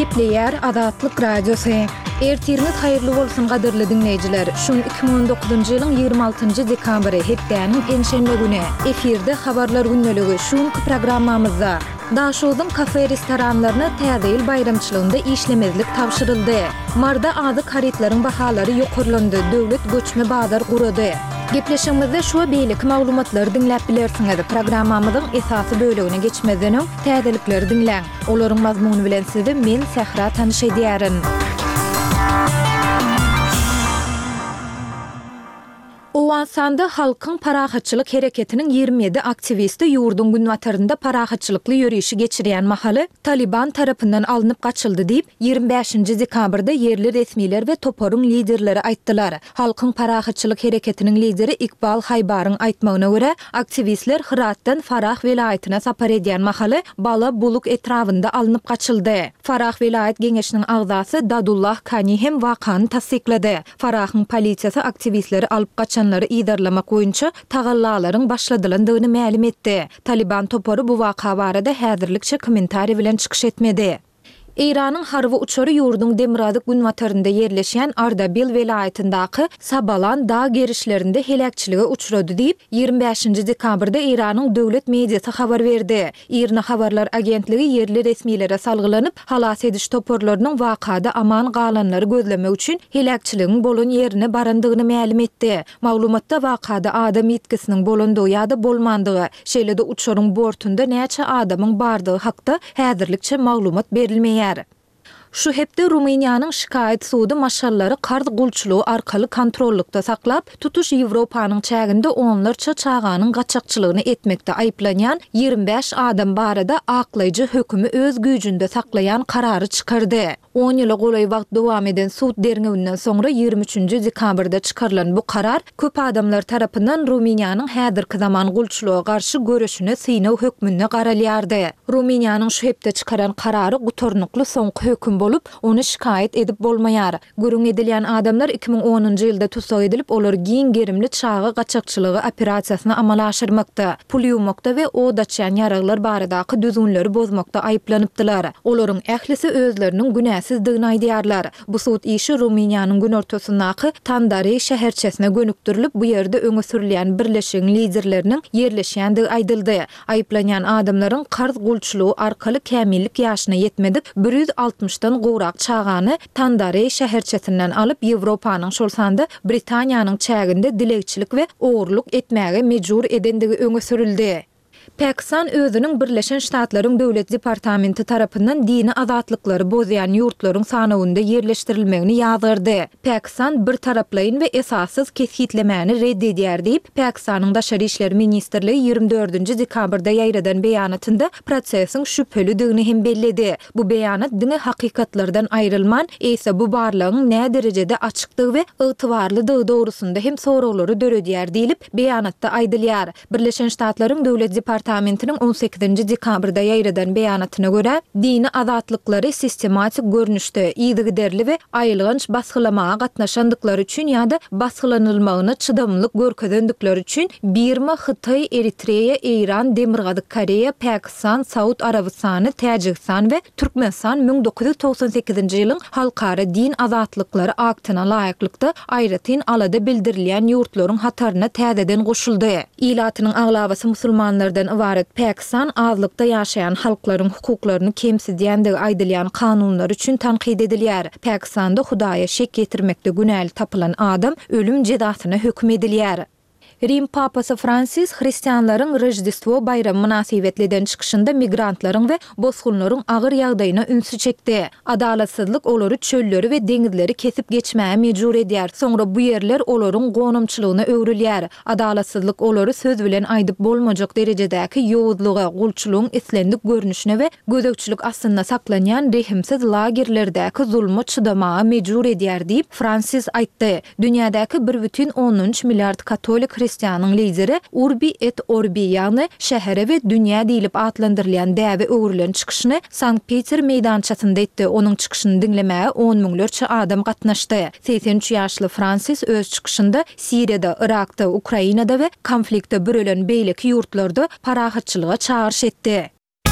Gepleýär Azatlyk Radiosy. Ertiriňiz haýyrly bolsun gadyrly diňleýjiler! Şu gün 2019-njy ýylyň 26-njy dekabry, hepdäniň penşenbe güni. Efirde Habarlar gündeligi, şu günki programmamyzda. Daşogzuň kafe-restoranlaryna Täze ýyl baýramçylygynda işlemezlik tabşyryldy. Maryda azyk harytlaryň bahalary ýokarlandy, döwlet göçme bazar gurady. Gepleşigimizde şu we beýleki maglumatlary diňläp bilersiňiz. Programmamyzyň esasy bölegine geçmezden öň, täzelikleri diňläň. Olaryň mazmuny bilen sizi men, Sähra tanyş edýärin. Owganystanda Halkyň parahatçylyk hereketiniň 27 aktiwisti ýurduň günbatarynda parahatçylykly ýörişi geçirýän mahaly Talyban tarapyndan alnyp gaçyldy diýip, 25-nji dekabrda ýerli resmiler we toparyň liderleri aýtdylar. Halkyň parahatçylyk hereketiniň lideri Ikbal Haýbaryň aýtmagyna görä, aktiwistler Hyratdan Farah welaýatyna sapar edýän mahaly Bala Buluk etrabynda alnyp gaçyldy. Farah welaýat geňeşiniň agzasy Dadullah Kani hem wakany tassyklady. Farahyň polisiýasy aktiwistleri alyp gaçanlary yzarlamak boýunça tagallalaryň başladylandygyny mälim etdi. Talyban topary bu waka barada häzirlikçe kommentariý bilen çykyş etmedi. Eýranyň harby uçary ýurduň demirgazyk-günbatarynda ýerleşýän Ardabil welaýatyndaky Sabalan dag gerişlerinde heläkçilige uçrady diýip, 25-nji dekabrda Eýranyň döwlet mediasy habar berdi. IRNA habarlar agentligi ýerli resmilere salgylanyp, halas ediş toparlarynyň wakada aman galanlary gözlemek üçin heläkçiligiň bolan ýerine barandygyny mälim etdi. Maglumatda wakada adam ýitgisiniň bolandygy ýa-da bolmandygy, şeýle-de uçaryň bortunda näçe adamyň bardygy hakda häzirlikçe maglumat berilmeýär. Şu hepde Rumyniýanyň şikaýat sudy maşgalalary karz gulçulygy arkaly kontrollykda saklap, tutuş Ýewropanyň çäginde onlarça çaganyň gaçakçylygyny etmekde aýyplanýan 25 adam barada aklaýjy hökümi öz güýjünde saklaýan karary çykardy. On ýyla golaý wagt dowam eden sud derňewinden soňra 23-nji dekabrda çykarylan bu karar köp adamlar tarapyndan Rumyniýanyň häzirki zaman gulçulyga garşy göreşine synag hökmünde garalýardy. Rumyniýanyň şu hepde çykaran karary gutarnykly soňky höküm bolup, ony şikaýat edip bolmaýar. Gürrüň edilýän adamlar 2010-njy ýylda tussag edilip, olar giň gerimli çaga gaçakçylygy operasiýasyny amala aşyrmakda, pul ýuwmakda we od açýan ýaraglar baradaky düzgünleri bozmakda aýyplanypdylar. Olaryň ählisi özleriniň günäsizdigini aýdýarlar. Bu sud işi Rumyniýanyň günortasyndaky Tandareý şäherçesine gönükdirilip, bu ýerde öňe sürülýän birleşigiň liderleriniň ýerleşýändigi aýdyldy. Aýyplanýan adamlaryň karz gulçulygy arkaly kämillik ýaşyna ýetmedik 160-dan gowrak çagany Tandareý şäherçesinden alyp, Ýewropanyň, şol sanda Britaniýanyň çäginde dilegçilik we ogurlyk etmäge mejbur edendigi öňe sürüldi. Pakistan özüniň Birleşen Ştatlaryň Döwlet departamenti tarapyndan dini azatlyklary bozýan ýurtlaryň sanawynda ýerleşdirilmegini ýazgardy. Pakistan birtaraplaýyn we esassyz kesgitlemäni red edýär diýip, Pakistanyň Daşary işler ministrligi 24-nji dekabrda ýaýradan beýanatynda prosesiň şübhelidigini hem belledi. Bu beýanat diňe hakykatlardan aýrylman, eýse bu barlagyň näderejede açykdygy we ygtybarlydygy dogrusynda hem soraglary döredýär diýlip, beýanatda aýdylýar. Birleşen Ştatlaryň Döwlet departamentiniň on sekizinji dekabrda ýaýradan beýanatyna görä, dini azatlyklary sistematik görnüşde, yzygiderli we aýylganç basgylamaga gatnaşandyklary üçin ýa-da basgylanylmagyna çydamlylyk görkezendikleri üçin Birma, Hytaý, Eritreýa, Eýran, Demirgazyk Koreýa, Pakistan, Saud Arabystany, Täjigistan we Türkmenistan 1998-nji ýylyň Halkara din azatlyklary aktyna laýyklykda aýratyn alada bildirilýän ýurtlaryň hataryna täzeden goşuldy. Ilatynyň aglabasy musulmanlardan ybarat Pakistan azlykda ýaşaýan halklaryň hukuklaryny kemsidýändigi aýdylýan kanunlary üçin tankyt edilýär. Pakistanda Hudaýa şek ýetirmekde günäli tapylan adam ölüm jezasyna höküm edilýär. Rim papasy Fransis hristianlaryň Roždestwo baýramy mynasybetli eden çykyşynda migrantlaryň we bosgunlaryň agyr ýagdaýyna ünsi çekdi. Adalatsyzlyk olary çölleri we deňizleri kesip geçmäge mejbur edýär, soňra bu ýerler olaryň gonamçylygyna öwrülýär. Adalatsyzlyk olary söz bilen aýdyp bolmajak derejedäki ýowuzlyga, gulçulygyň islendik görnüşine we gözegçilik astynda saklanýan rehimsiz lagerlerdäki zulma çydamaga mejbur edýär diýip, Fransis aýtdy. Dünýädäki bir bütin ondan üç milliard katolik hristianyň lideri Urbi et Orbi, ýagny Şähere we dünýä diýlip atlandyrylýan däbe öwrülen çykyşyny Sankt-Peter meýdançasynda etdi. Onuň çykyşyny diňlemäge on müňlerçe adam gatnaşdy. 83 ýaşly Fransis öz çykyşynda Siriýada, Yrakda, Ukrainada we konflikte bürelen beýleki ýurtlarda parahatçylyga çagyryş etdi.